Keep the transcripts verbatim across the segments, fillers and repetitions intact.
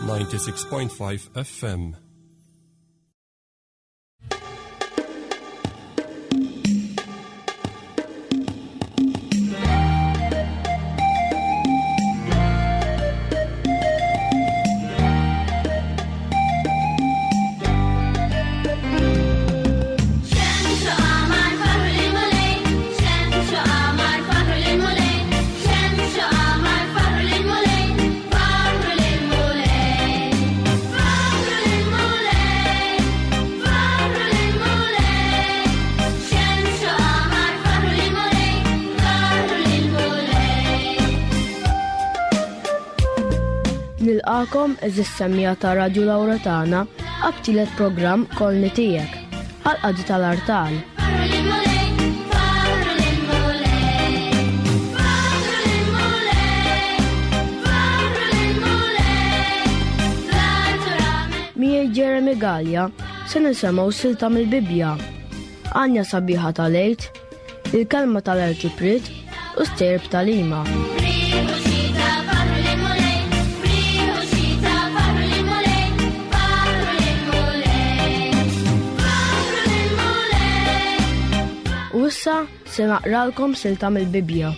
ninety-six point five F M. Nilqakom eżis semmija ta' Radio Lauretana għat-tielet programm Kolni Tiegħek għal-qadi tal-artal. Miegħi Jeremy Gallia se nisimgħu silta mill-Bibbja, għanja sabiħa tal-Għid, il-kelma tal-Arċipriet u sterb tal-Ima. U issa se naqralkom silta mill-Bibbja.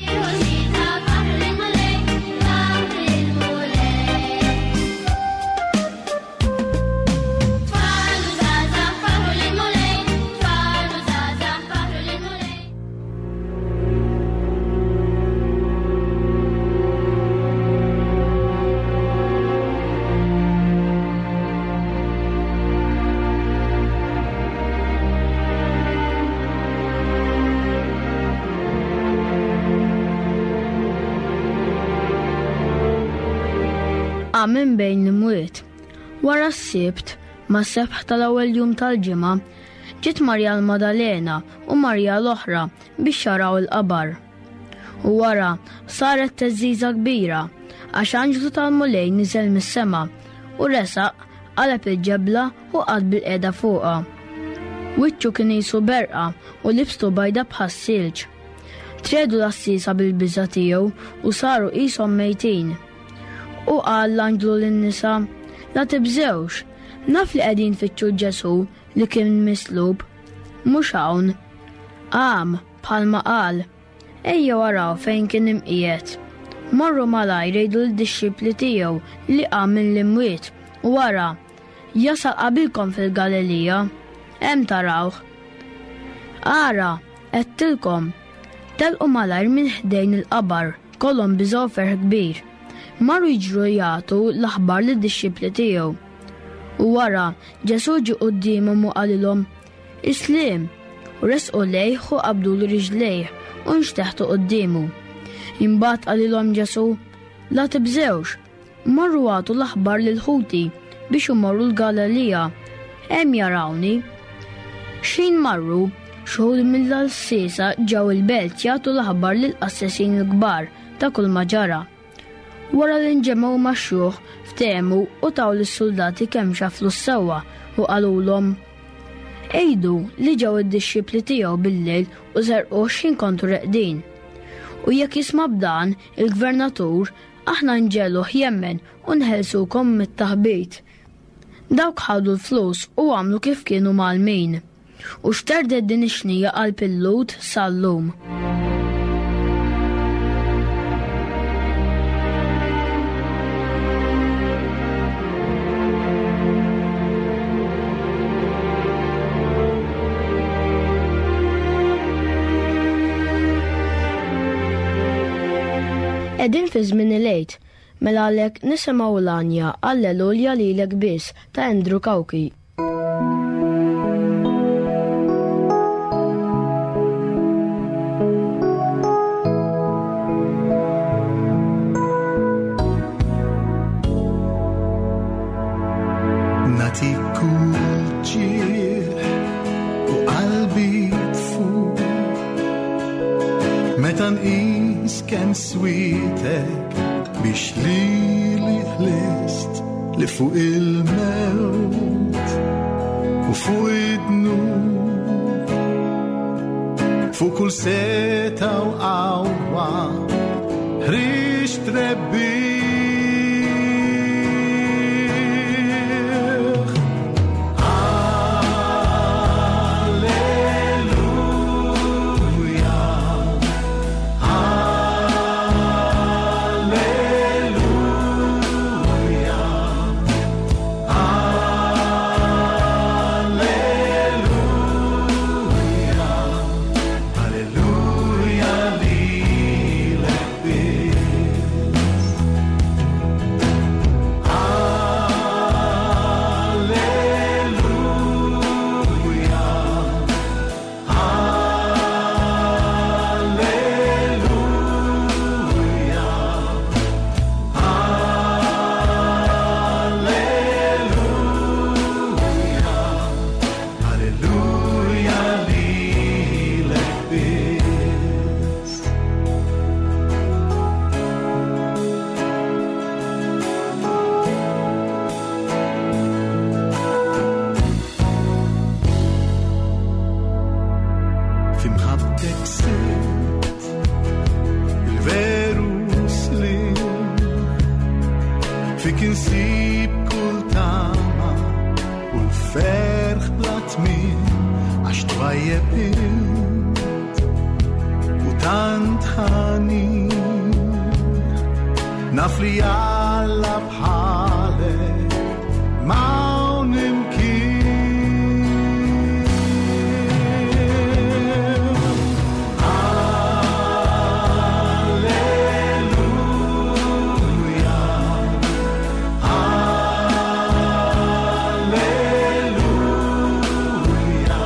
Minn bejn l-imwiet. Wara s-Sibt, ma' sebħ tal-ewwel jum tal-ġimgħa, ġiet Marja l-Madalena u Marja l-oħra biex jaraw il-qabar. U wara saret teżżiża kbira għax anġlu tal-Mulej niżel mis-sema u resaq qaleb il-ġebla u qagħad bil-qiegħda fuqha. Wiċċu kien qisu berqa u libstu bajda bħas-silġ. Tredu l-assisa bil-biża' tiegħu u saru qishom mejtin. U qal l-anġlu lin-nisa, La tibżewx, naf li qegħdin tfittxu Ġesù li kien mislub, mhux hawn. Qam bħalma qal, ejjew araw fejn kien imqiegħed. Marru malajr jgħidu lid-dixxipli tiegħu li qam minn l-imwiet u wara jasal qabilkom fil-Galilija, hemm tarawh. Ara, għedtilkom, telqu malajr minn ħdejn il-qabar, kollhom biżgħu ferħ kbir. Marru jiġru jagħtu l-aħbar lid-dixxipli tiegħu. U wara Ġesù ġie quddiemhom u qalilhom, Islim, u resqu lejh u qabdu l riġlejh u nxteħtu quddiemu. Imbagħad qalilhom Ġesù, La tibżewx, marru għatu l-aħbar lil ħuti biex imorru l-Galilija, hemm jarawni. X'ħin marru, xhud mill-għassiesa ġew il-belt jagħtu l-aħbar lill-qassisin il-kbar ta' kull ma ġara. Wara li nġemgħu max-xjuħ, ftehmu u taw lis-soldati kemm xaflu s-sewwa u qalulhom, Ejdu li ġew id-dixxipli tiegħu bil-lejl u serquh x'ħin kontu reqdin. U jekk jisma' b'dan il-gvernatur, aħna nġegħluh jemmen u nħelsukom mit-taħbit. Dawk ħadu l-flus u għamlu kif kienu mgħallmin. U xterdet din ix-xnija qalb il-Lhud sal-lum. Qegħdin fi żmien il-Għid, mela għalhekk nisimgħu l-għanja Alleluja lilek biss ta' Andrew Cauchi. Nagħtik kull ġieħ u qalbi tfur meta nqis kemm switek biex lili ħlist li fuq il-mewt u fuq id-dnub, fuq kull seta u qawwa ħriġt rebbieħ. Fik insib kull tama u l-ferħ bla tmiem, għax twajjeb int u tant ħanin. Naf li Alla bħalek m'hawn imkien. Alleluja, Alleluja, Alleluja,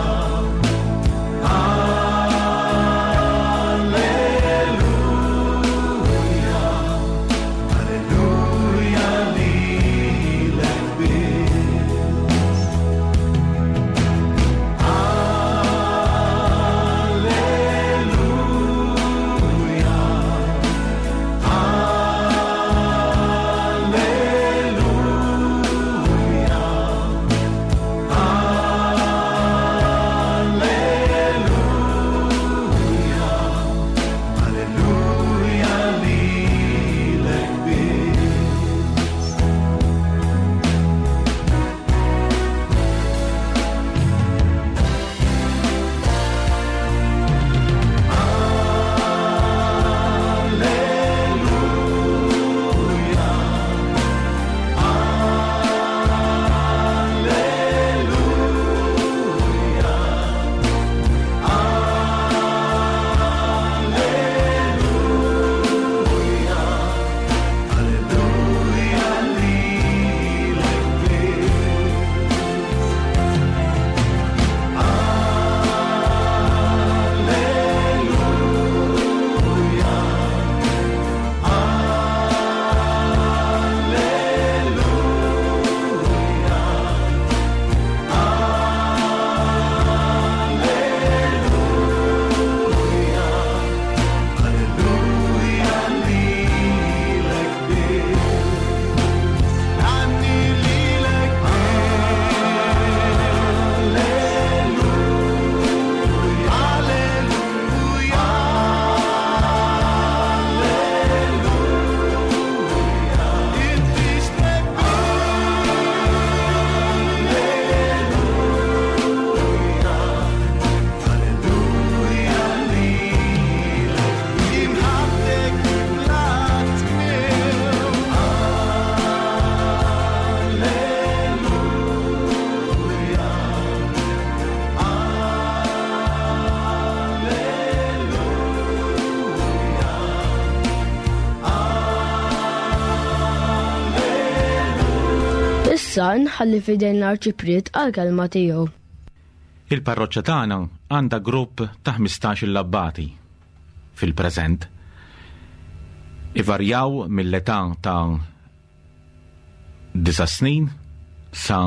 Alleluja lilek biss. Alleluja, Alleluja, Alleluja, Alleluja lilek biss. Alleluja, Alleluja, Alleluja, Alleluja lilek biss. Alleluja, Alleluja, Alleluja, Alleluja lilek biss. Għanni lilek Alleluja, Alleluja, Alleluja, inti Alleluja, Alleluja lilek imħabbtek bla tmiem. Alleluja, Alleluja, Issa nħalli fidejn l-Arċipriet għal-kelma tiegħu. Il-parroċċa tagħna għandha grupp ta' ħmistax-il abbati fil-preżent. Ivarjaw mill-età ta' disa' snin sa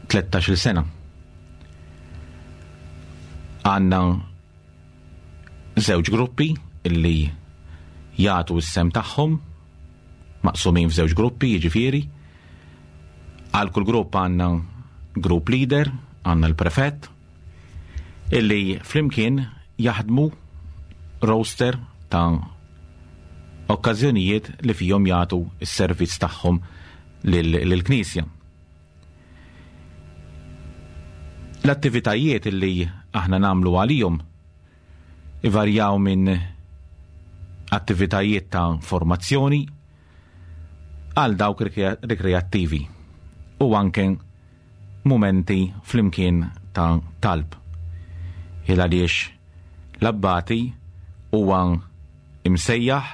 tlettax-il sena. Għandna żewġ gruppi illi jagħtu s-sem tagħhom, maqsumin f'żewġ gruppi, jiġifieri. Għal kull grupp għandna group leader, għandna l-prefett, illi flimkien jaħdmu roster ta' okkażjonijiet li fihom jagħtu s-servizz tagħhom lill-Knisja. L-attivitajiet illi aħna nagħmlu għalihom ivarjaw minn attivitajiet ta' formazzjoni għal dawk rikrea-, rikreattivi u anke mumenti flimkien ta' talb. Il għaliex l-abbati huwa imsejjaħ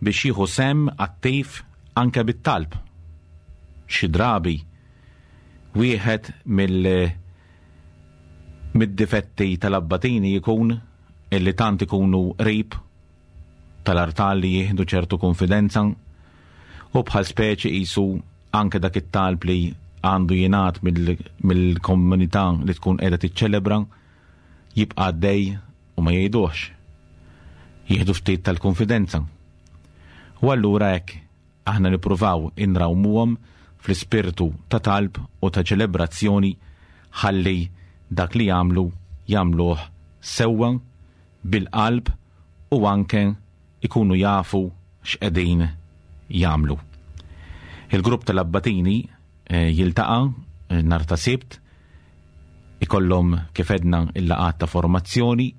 biex jieħu sem attiv anke bit-talb. Xi drabi wieħed mill-, mid-difetti tal-abbatini jkun illi tant ikunu qrib tal-artal li jieħdu ċertu konfidenza u bħal speċi qisu anke dak it-talb li għandu jingħad mill-, mill-komunità li tkun qiegħda tiċċelebra jibqa' għaddej u ma jgħiduhx. Jieħdu ftit tal-konfidenza. U allura hekk aħna nippruvaw inrawmuhom fl-ispirtu ta' talb u ta' ċelebrazzjoni ħalli dak li jagħmlu jagħmluh sewwa bil-qalb u anke ikunu jafu x'qegħdin jagħmlu. Il-grupp tal-abbatini eh, jiltaqa' eh, nhar ta' Sibt, ikollhom kif edna il-laqgħat ta' formazzjoni,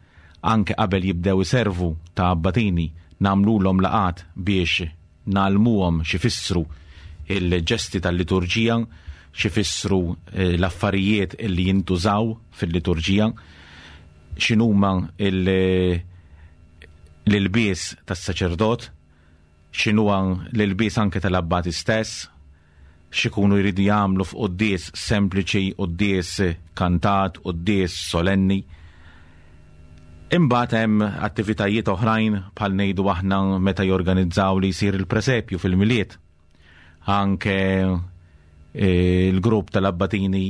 anke qabel jibdew iservu ta' abbatini nagħmlulhom laqgħat biex nagħlmuhom x'ifissru il-ġesti tal-liturġija, x'ifissru eh, l-affarijiet illi jintużaw fil-liturġija, x'inhuma l-ilbies tas-saċerdot, x'inhuwa l-ilbies anke tal-abbati stess, x'ikunu jridu jagħmlu f'quddies sempliċi, quddies kantat, quddies solenni. Imbagħad hemm attivitajiet oħrajn bħal ngħidu aħna meta jorganizzaw li jsir il-presepju fil-Milied. Anke eh, il-grupp tal-abbatini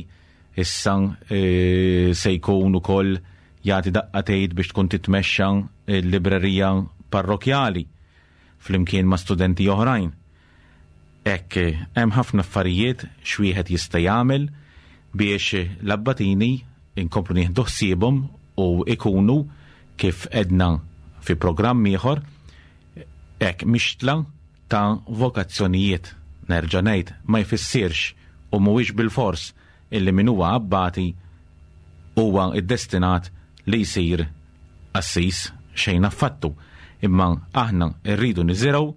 issa eh, se jkun ukoll jagħti daqqa tgħid biex tkun titmexxa l-librerija parrokjali flimkien ma' studenti oħrajn. Hekk hemm ħafna affarijiet x'wieħed jista' jagħmel biex l-abbatini inkomplu nieħdu ħsiebhom u ikunu kif edna fi programm ieħor hekk mixtla ta' vokazzjonijiet. Nerġa' ngħid ma jfissirx u mhuwiex bilfors illi min huwa abbati huwa iddestinat li jsir qassis, xejn affattu, imma aħna rridu niżirgħu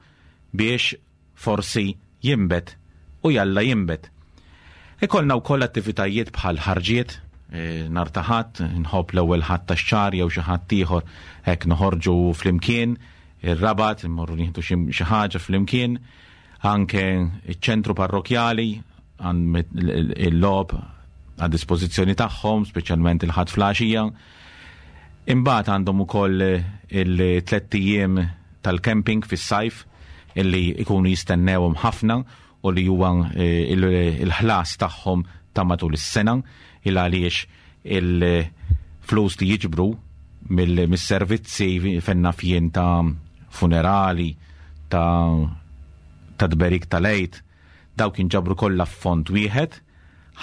biex forsi jinbet u jalla jinbet. Ikollna wkoll attivitajiet bħal ħarġiet, eh, nhar ta' Ħadd, nħobb l-ewwel Ħadd tax-xahar jew xi ħadd ieħor hekk noħorġu flimkien, ir-Rabat, immorru nieħdu xi ħaġa flimkien, anke iċ-ċentru parrokjali għand il-logħob għad dispożizzjoni tagħhom, speċjalment il-Ħadd flaxija. Imbagħad għandhom ukoll il-tliet ijiem tal-camping fis-sajf illi ikunu jistennewhom ħafna u li huwa eh, il-ħlas tagħhom ta' matul is-sena, il għaliex il-flus li jiġbru mill-servizzi fenna fjien ta' funerali, ta' ta' tberik tal-Għid, dawk jinġabru kollha f'fond wieħed,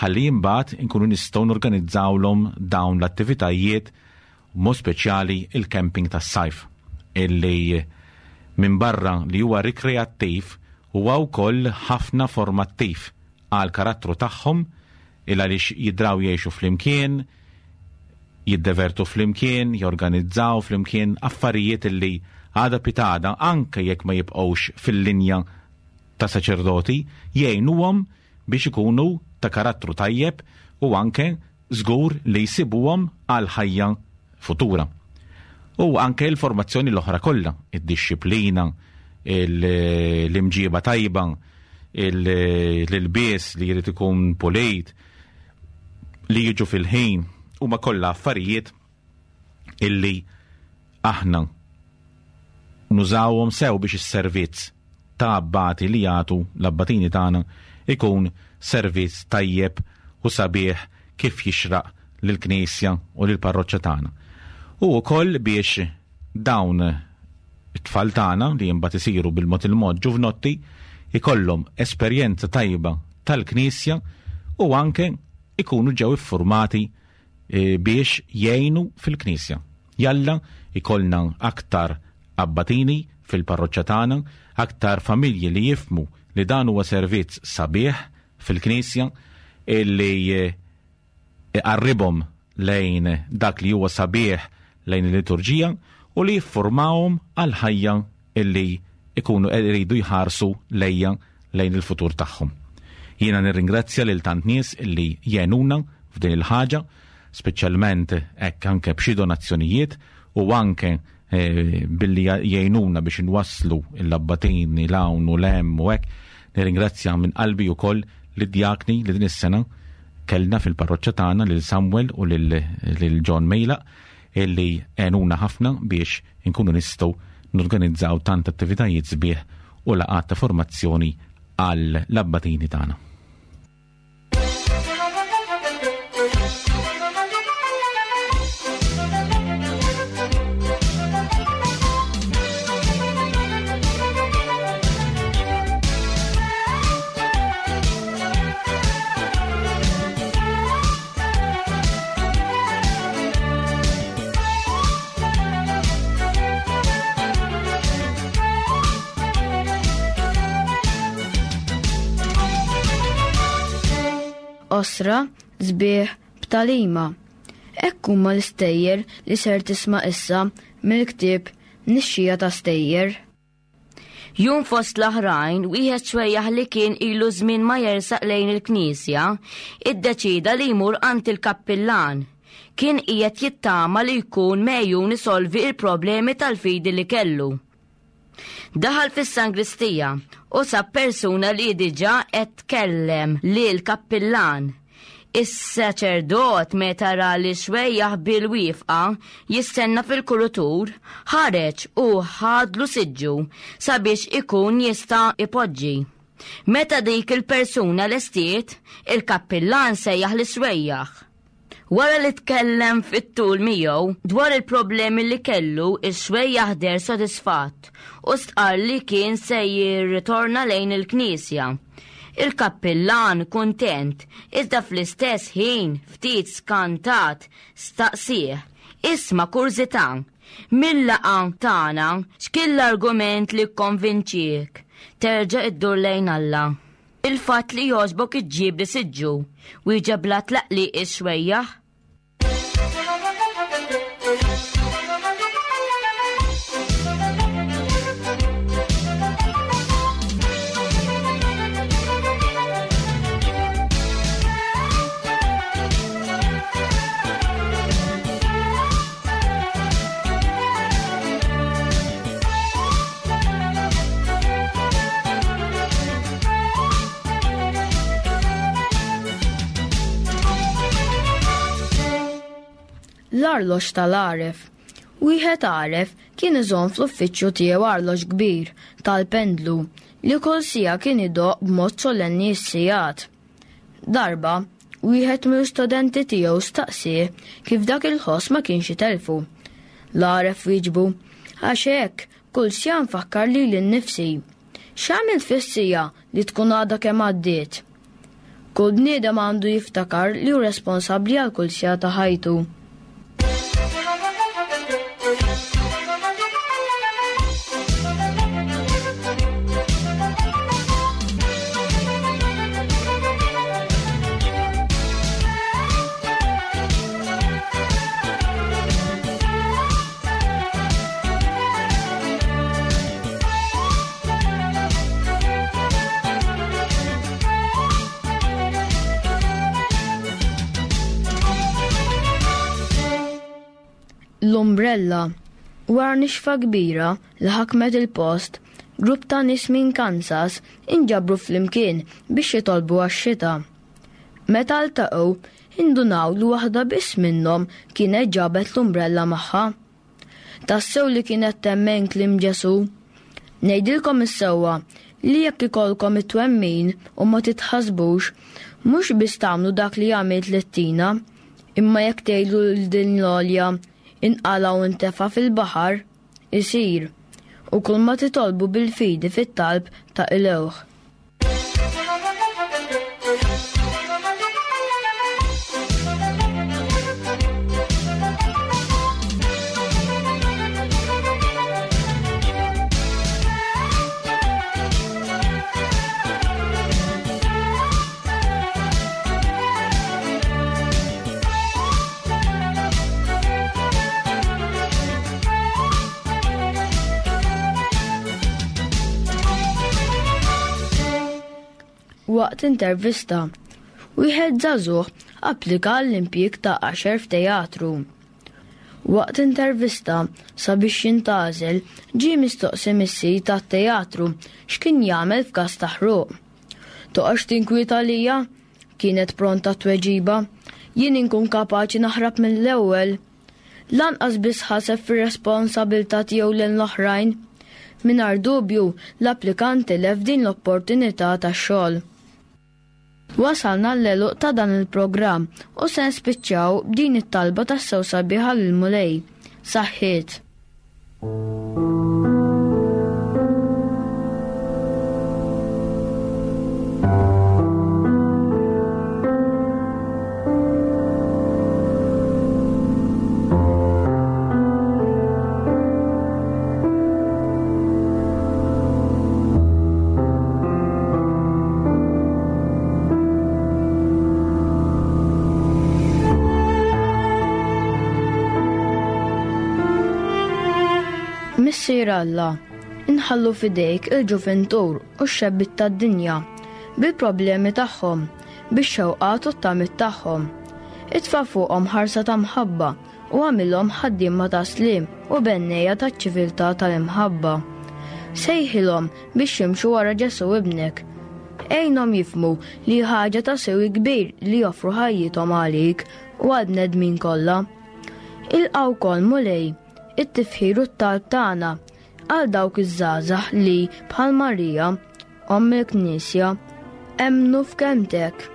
ħalli imbagħad inkunu nistgħu norganizzawlhom dawn l-attivitajiet, mod speċjali il-camping tas-sajf, illi minn barra li huwa rikreattiv huwa wkoll ħafna formattiv għal karattru tagħhom, il għaliex jidraw jgħixu flimkien, jiddevertu flimkien, jorganizzaw flimkien affarijiet illi għada pitada anke jekk ma jibqgħux fil-linja ta' saċerdoti, jgħinuhom biex ikunu ta' karattru tajjeb u anke żgur li jsibuhom għal ħajja futura. U anke l-formazzjoni l-oħra kollha, id-disciplina, l-imġiba tajba, l-ilbies li jrid ikun pulit, li jiġu fil-ħin, huma kollha affarijiet illi aħna nużawhom sew biex is-servizz ta' abbati li jagħtu l-abbatini tagħna ikun servizz tajjeb u sabiħ kif jixraq lill-Knisja u lill-parroċċa tagħna. U wkoll biex dawn it-tfal tagħna li imbagħad isiru bil-mod il-mod ġuvnotti ikollhom esperjenza tajba tal-Knisja u anke ikunu ġew iffurmati, eh, biex jgħinu fil-Knisja. Jalla ikollna aktar abbatini fil-parroċċa tagħna, aktar familji li jifmu li dan huwa servizz sabiħ fil-Knisja illi, eh, iqarribhom lejn dak li huwa sabiħ lejn il-liturġija u li jiffurmawhom għal ħajja illi ikunu iridu jħarsu lejja lejn il-futur tagħhom. Jiena nirringrazzja lil tant nies illi jgħinuna f'din il-ħaġa, speċjalment hekk anke b'xi donazzjonijiet u anke, eh, billi jgħinuna biex inwasslu l-abbatini l-hawn u l-hemm u hekk. Nirringrazzja minn qalbi wkoll lid-djakni li din is-sena kellna fil-parroċċa tagħna lil Samuel u lil, lil John Mejla illi għenuna ħafna biex inkunu nistgħu norganizzaw tant attivitajiet sbieħ u laqgħat ta' formazzjoni għall-abbatini tagħna. Qosra, sbieħ, b'tagħlima. Hekk huma l-istejjer li ser tisma' issa mill-ktieb Nixxija ta' Stejjer. Jum fost l-oħrajn, wieħed xwejjaħ li kien ilu żmien ma jersaq lejn il-knisja, iddeċida li jmur għand il-kappillan. Kien qiegħed jittama li jkun mejjun isolvi il-problemi tal-fidi li kellu. Daħal fis-sangristija u sab persuna li diġà qed tkellem lil kappillan. Is-saċerdot meta ra li xwejjaħ bil-wifqa jistenna fil-kurutur, ħareġ u ħadlu siġġu sabiex ikun jista' ipoġġi. Meta dik il-persuna lestiet, il-kappillan sejjaħ li xwejjaħ. Wara li tkellem fit-tul miegħu dwar il-problemi li kellu, ix-xwejjaħ deher sodisfatt u stqarr li kien se jirritorna lejn il-knisja. Il-kappillan kuntent, iżda fl-istess ħin ftit skantat staqsih, isma' kurżità, mill-laqgħa tagħna x'kien l-argument li kkonvinċiek terġa' iddur lejn Alla? Il-fatt li jogħġbok iġġib li siġġu, wieġeb bla tlaqliq ix-xwejjaħ. L-arloġġ tal-għaref. Wieħed għaref kien iżomm fl-uffiċċju tiegħu arloġġ kbir tal-pendlu li kull siegħa kien idoqq b'mod solenni s-sigħat. Darba, wieħed mill-istudenti tiegħu staqsieh kif dak il-ħoss ma kienx itelfu. L-għaref wieġbu, għax hekk kull siegħa nfakkar lili nnifsi. X'għamilt fis-siegħa li tkun għadha kemm għaddiet? Kull bniedem għandu jiftakar li hu responsabbli għal kull siegħa ta' ħajtu. L-umbrella. Wara nixfa kbira li ħakmet il-post, grupp ta' nies minn Kansas inġabru flimkien biex jitolbu għax-xita. Meta ltaqgħu, indunaw li waħda biss minnhom kienet ġabet l-umbrella magħha. Tassew li kienet temmen kliem Ġesu. Ngħidilkom is-sewwa li jekk ikollkom it-twemmin u ma titħassbux, mhux biss tagħmlu dak li għamilt lit-tina, imma jekk tgħidu lil din l-għolja inqala u ntefa' fil-baħar, isir, u kull ma titolbu bil-fidi fit-talb ta' ilewħ. Waqt intervista, wieħed żagħżugħ applika għall-impjieg ta' għaxar f'teatru. Waqt intervista sabiex jintgħażel ġie mistoqsi mis-sid tat-teatru x'kien jagħmel f'każ ta' ħruq. Toqgħodx tinkwieta lija, kienet pronta tweġiba, jien inkun kapaċi naħrab mill-ewwel. Lanqas biss ħaseb fir-responsabilità tiegħu lejn l-oħrajn. Mingħajr dubju l-applikant tilef din l-opportunità tax-xogħol. Wasalna l-għeluq ta' dan il-programm u se nispiċċaw b'din it-talba tassew sabiħa lill-Mulej. Saħħiet. Missier Alla, inħallu f'idejk il-ġuventur u x-xebbiet tad-dinja bil-problemi tagħhom, bix-xewqat u t-tamiet tagħhom. Itfa' fuqhom ħarsa ta' mħabba u agħmilhom ħaddiema ta' sliem u bennejja taċ-ċiviltà tal-imħabba. Sejħilhom biex jimxu wara Ġesù ibnek. Għinhom jifhmu li ħaġa ta' sewi kbir li joffru ħajjithom għalik u għall-bnedmin kollha. Ilqa' wkoll, Mulej, it-tifħir u t-talb tagħna għal dawk iż-żgħażagħ li bħal Marija, omm il-Knisja, emmnu f'kelmtek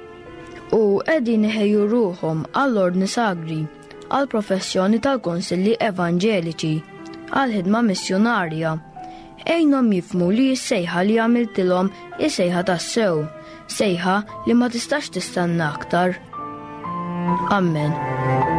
u qegħdin iħejju ruħhom għall-ordni sagri, għall-professjoni tal-konsilli evanġeliċi, għall-ħidma missjonarja. Għinhom jifhmu li s-sejħa li għamiltilhom hi sejħa tassew, sejħa li ma tistax tistenna aktar. Amen.